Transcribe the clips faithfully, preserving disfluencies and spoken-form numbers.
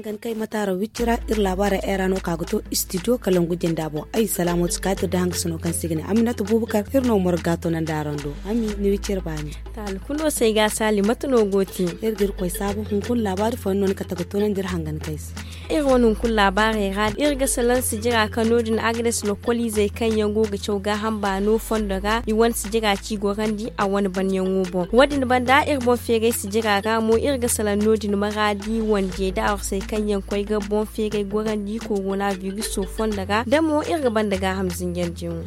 Kan kay mataara wicci ra iri laabaara era no ka ga to istidiyo kalangu jinda boŋ. Ay salaamooti kaatir da hangasino kaŋ se i ga ne aminata buubakar iri no morga to naŋ da araŋ do. Ami ni wicci iri baani. Taali kulo se ay ga saali mate no go te? Iri ga iri koy saabu hunkuna laabaari fooyaŋ no ni kate ga toonandi iri hangan kay se. Iri wane hunkuna laabaarey ra iri ga salaŋ sijira kaŋ no- din agades lokoliizey kaŋ yaŋ go ga caw gaaham baano fondo ra i wane sijira ci gorandi a wane banyaŋo boŋ. Wo- din banda iri boŋ feeray sijira ra mo iri ga salaŋ no- din maraadi wanje da arsey kaŋ yaŋ koy ga boŋ feeray gorandi korona biriso fondo ra da mo iri ga banda gaaham zinjandiyaŋo.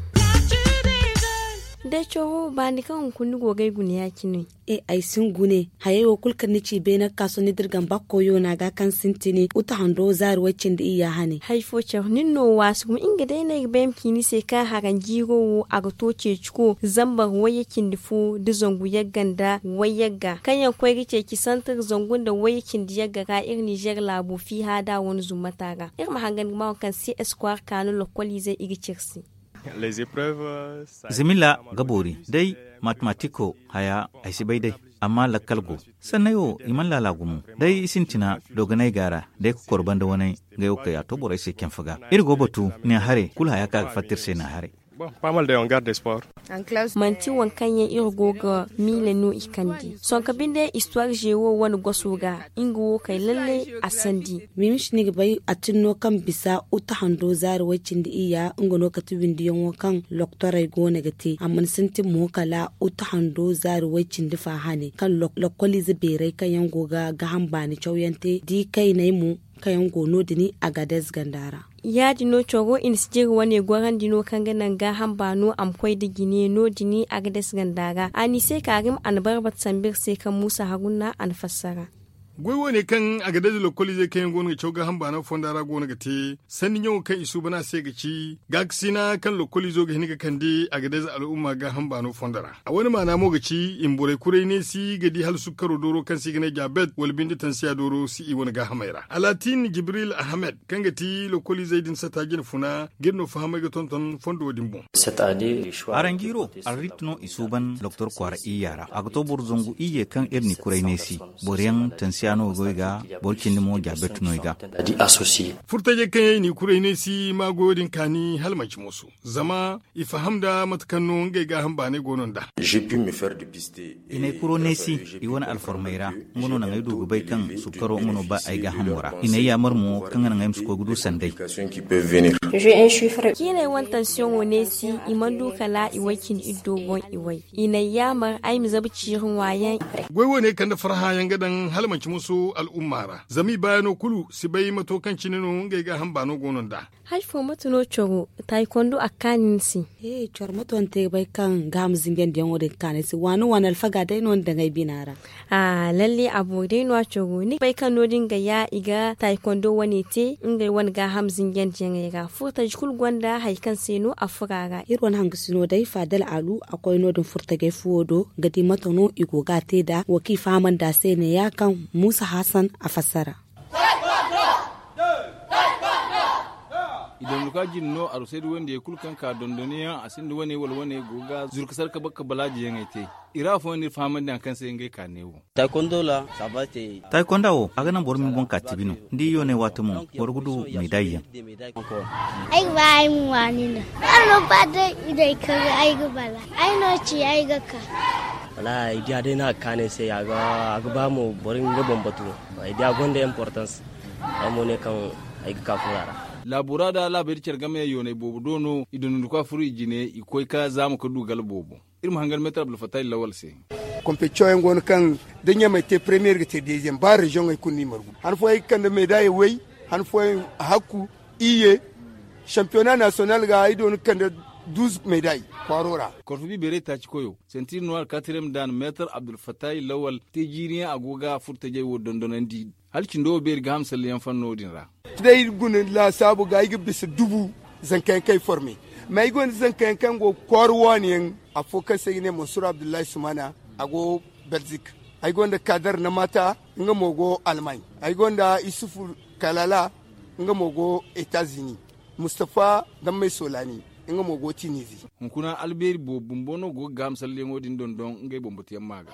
Day coro baani kaŋ hunkuna ni go ga ay guna ya- cine. E ay si ni gune hayey wo kulu kaŋ ni ci beene ga ka sohõ ni dirgam bakkoyo no a ga kaŋ sintin uta hando zaari way cindi iyya hane. Hari fo care nin no waasu gumo nga day no ay ga bay ma ci ni se kaŋ haranjiiro wo a ga to ceeciko zambar wayye cindi fo nda zangu yagga nda wayyagga kaŋ yaŋ koy ga ceeci santir zangu nda wayye cindi yagga ra iri ninzeer laabo fiiha da a wane zummata ra iri ma hangan ga ma waŋ kaŋ se espoir kaanu lokkoliizey i ga ci iri se. Zimila ga boori day. Matematiko haya ay si bay day. Amma lakkal go sanney wo i mana laala gumo. Day i sintina dogonay ga a ra day kokoro banda waney. Ngey wo kay a to borey se canfa ga iri go batu ne haray kulu haya kaŋ a ga fatta iri se ne haray. Manti waŋ kaŋ yaŋ iri go ga miila no i kande sonka binde histoire ze wo wane goso ga nga wo kay lalle. A sandi. Mimish ni ga bay a tin no kaŋ bisa uta hando zaari way cindi iyya nga no kate windiyaŋo kaŋ loktorey go no ga te a mana sintin mo kala uta hando zaari way cindi fa hane kaŋ lokkoliize beerey kaŋ yaŋ go ga gaaham baani cawyaŋ te da i kayney mo kaŋ yaŋ go no- din. Agades ganda ra. Ya- din no coro i na si jiri wane gorandi no kaŋ ga naŋ gaaham baano a ma koy nda jine no- din agades ganda ra a n'i se kaarim a na barbata sambu iri se kaŋ muusa haruna a na fassara. Goy wo- ne kaŋ agades lokkoliizey kaŋ yaŋ go no ga caw gaaham baano fonda ra go no ga te sanni ɲaŋo kaŋ i suuban a se ga ci gaakasina kaŋ lokkoliizo ga hin ga kande agades al'umma gaaham baano fonda ra. A wane maana mo ga ci i ma borey kuray neesi ga di hala sukkaro dooro kaŋ se i ga ne jaabet wala binde tansiya dooro si i wane gaahamey ra alaatin jibril ahamed kaŋ ga ti lokkoliizey din sata jine funa ga iri no fahamay ga tonton fondo din boŋ. Aranjiiro arrit no i suuban doktor kwaara iyya ra a ga to boro zangu iyye kaŋ iri n'i kuray neesi. Boro yaŋ tansiya no goy ga boro cindi mo jaabet no i ga. Furtajey kaŋ yaŋ i n'i kuray neesi ma goyo din kaani hala manci mooso zama i faham nda mate kaŋ no ngey gaaham baanay go no nd'a. I n'ay kuro neesi i wane alformey ra. Nga no naŋ ay du ga bay kaŋ sukkaro nga no ba ay gaahamo ra i n'ay yaamar mo kaŋ ga naŋ ay ma si koy ga du sanday. Ciinay wane tansiyoŋo neesi i mana du kala i way cindi iddo boŋ i way i n'ay yaamar ay ma zabu ciiri ŋwaayaŋ. Goy wo- ne kande farhã yaŋ ga daŋ hala manci musu al'umma ra zama i baayaŋo kulu si bay mato kaŋ cine no ngey gaaham baano go no nd'a. Hari fo mate no coro taayi kondo a ga kaani ni se? He coro mate no ni te ga bay kaŋ gaaham zinjandiyaŋo din ga kaani ay se waani waani alfaga day no ni daŋ ay bina ra. Lalle a boori day no- ya coro ni ga bay kaŋ no- din ga ya i ga taayi kondo wane te ngey wane gaaham zinjandiyaŋey ra furtaji kulu gonda hari kaŋ se no a furo a ra. Iri wane hangasino day faadal alu a koy no- din furtajey fuwo do ga di mate no i go ga a te nd'a wo kaŋ i fahamandi a se ne- ya kaŋ muusa hasan a fassara. I donduka jine no arusaydi wandiyey kulu kaŋ ka dondoniyaŋ a sinda wane wala wane go ga zuru ka sarka bakka balaajiyaŋey te. I ra afooyaŋ no iri fahamandi hari kaŋ se ngey ka ne wo. Taayikonda wo a ga naŋ boro ma ni boŋ ka tibi no. Ni di yooney waati mo boro ga du meedaayi yaŋ. Ay ga ba ay ma waani no. Ay no ba day i day kaŋ ay ga bala ay no ci ay ga ka. Wala ay diya day no a ga kaanu ay se a ga ba mo boro nga boŋ batu. Ay diya gonda importance. Ay mo ne kaŋ ay ga ka fura ra. Laabura da laabaydi care game yooney boobo do no i dondondikwa furo i jine i koy ka zaama ka du gala boobo. Iri ma hangan meetar abdulfattahi lawal se. Kompetisiyoŋ yaŋ go no kaŋ da ɲamey te premiyer ga te deziyeem ba reziyoŋey kulu no i margu han fooyaŋ ay ga kande meedaayey way han fooyaŋ hakku iyye. Sampiyona nasiyonal ga ay do ni ga kande duuz meedaayi kwaaro ra. Korfo bibeerey taaci koyo sentiir nuwaar katiriyem daana meetar abdulfattahi lawal te jiiriyaŋ a go ga furtajey wo dondonandi. Hala cindo wo beeri gaaham salliyaŋ fanno din ra. Day guna laasaabu ga ay ga bisa dubu zankayaŋ kaŋ ay forme. Mais ay gonda zankayaŋ kaŋ go ga kwaara waani yaŋ afo kaŋ se i ga ne mansur abdullahi sumana a go belzik. Ay gonda kadar na mata nga mo go almaaɲ. Ay gonda isufu kalala nga mo go etazini. Mustafa dammay solani nga mo go tinizi. Hunkuna albeeri boobo bumbo no go ga gaaham salliyaŋo din dondon ngey boŋ batuyaŋ ma ga.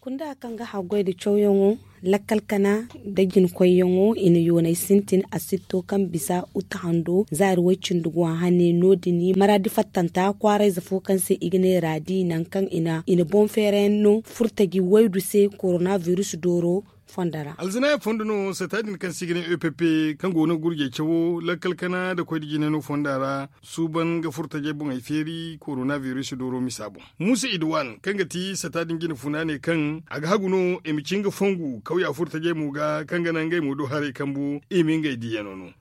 Nda kaŋ ga haggoy da cawyaŋo, lakkal kana da jinkoyyaŋo i na yoonay sintin asitto kaŋ bisa uta hando zaari way-cindi go a hane no- din maraadi fattanta kwaarayze fo kaŋ se i ga ne raadi nangu kaŋ i na boŋ feerayaŋ no furtaji waydu se korona biris dooro fondo ra. Alzanaaya fondo no sata din kaŋ se i ga ne epp kaŋ go no gurjey cawo lakkal kana nda koy da jinay no fonda ra suuban ga furtajey boŋey feeri korona biris dooro misa boŋ. Muusa idwan kaŋ ga ti sata din jine funa ne kaŋ a ga hagu no i ma ci nga fongu kawya furtajey mo ga kaŋ ga naŋ ngey mo do haray kambu i ma ngey diiyano no.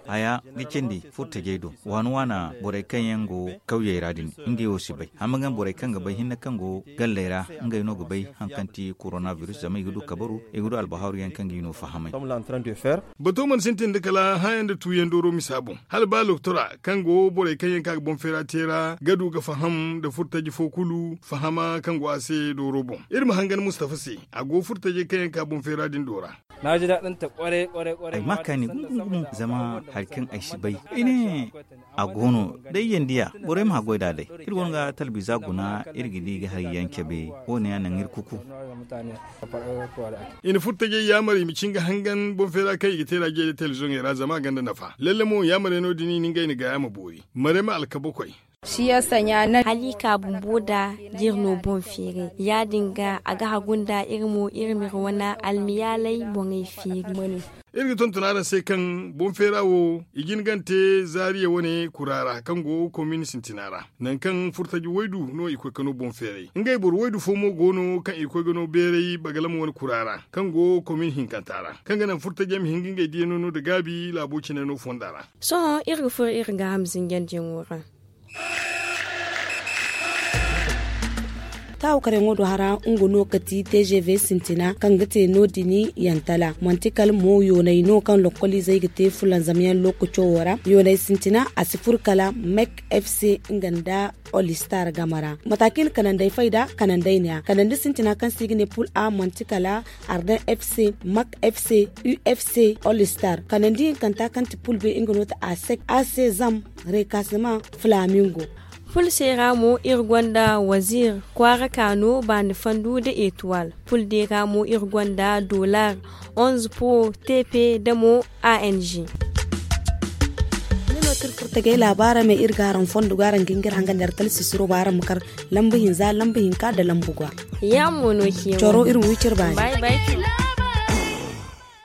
Haya ga cindi furtajey do waana waana borey kaŋ yaŋ go kawyey ra din ngey wo si bay hama ga borey kaŋ ga bay hinne kaŋ go galley ra ngey no ga bay haŋ kaŋ ti korona biris zama i ga du kabaru i ga du albahaaru yaŋ kaŋ ga i no fahamay. Bato mana sintin da kala hããyaŋ nda tuuyaŋ dooro misa boŋ hala ba loktora kaŋ go borey kaŋ yaŋ ka ga boŋ feera te ra ga du ga faham nda furtaji fo kulu fahama kaŋ go a se dooro boŋ. Iri ma hangan mustafa se a go furtajey kaŋ yaŋ ka boŋ feera din do ra. Ay ma kaani gumo gumo zama hari kaŋ ay si bay ay ne a go no da ay yandi ya borey ma haggoy nd'a day. Iri wane ga talbiza guna iri ga di ga hari yaŋ cabe wo- ne yaŋ naŋ iri kuku. I na furtajey yaamar i ma ci nga hangan boŋ feera kaŋ i ga te ra jey da telebizoŋey ra zama a gonda nafa lalle mo yaamarey no- din i na ngey na gaaya ma boori. Marema alkabakoy. Hala i ka bumbo nda jiri no boŋ feeray ya-din ga a ga hagu nda iri mo iri ma iri wane almiyaalay boŋey feeri. Iri ga tonton araŋ se kaŋ boŋ feera wo i jin gante zaariya wane kura ra kaŋ go komin sintina ra nangu kaŋ furtaji waydu no i koy ka no boŋ feeray ngey boro waydu fo mo go no kaŋ i koy ga no beeray bagalama wane kura ra kaŋ go komin hinkanta ra kaŋ ga naŋ furtaji yaŋ ma hin ga ngey diya no no nda gaabi laabo cine no fonda ra. Sohõ iri ga furo iri ga hamzinjandiyaŋo ra. Taawu karaŋo do hara nga no ka ti tgv sintina kaŋ ga te no- din yantala manti kala mo yoonay no kaŋ lokkoliizey ga te fulanzamyaŋ lookaco wo ra yoonay sintina a si furo kala mek fc nga nda olistar game ra. Mata kaŋ i na kanandey fay nd'a kanandey ne- ya kanandi sintina kaŋ se i ga ne pul a manti kala arden fc mak fc ufc olistar kanandi hinkanta kaŋ ti pul be nga no ti asek asezam rekasema flamingo. Pulse ra mo iri gonda wazir kwaara kaano baani fandu nda etoile. Pulde ra mo iri gonda dolar onze pro, tepe nda mo ang. Ni no tirfurtagay laabaara me iri ga araŋ fondo ga araŋ ga hin ga iri hangan da iri kala sisiro ba araŋ ma kar lambu hinza lambu hinka nda lambu gwa. Yaamo no ciyamo coro iri ma wi cire baani.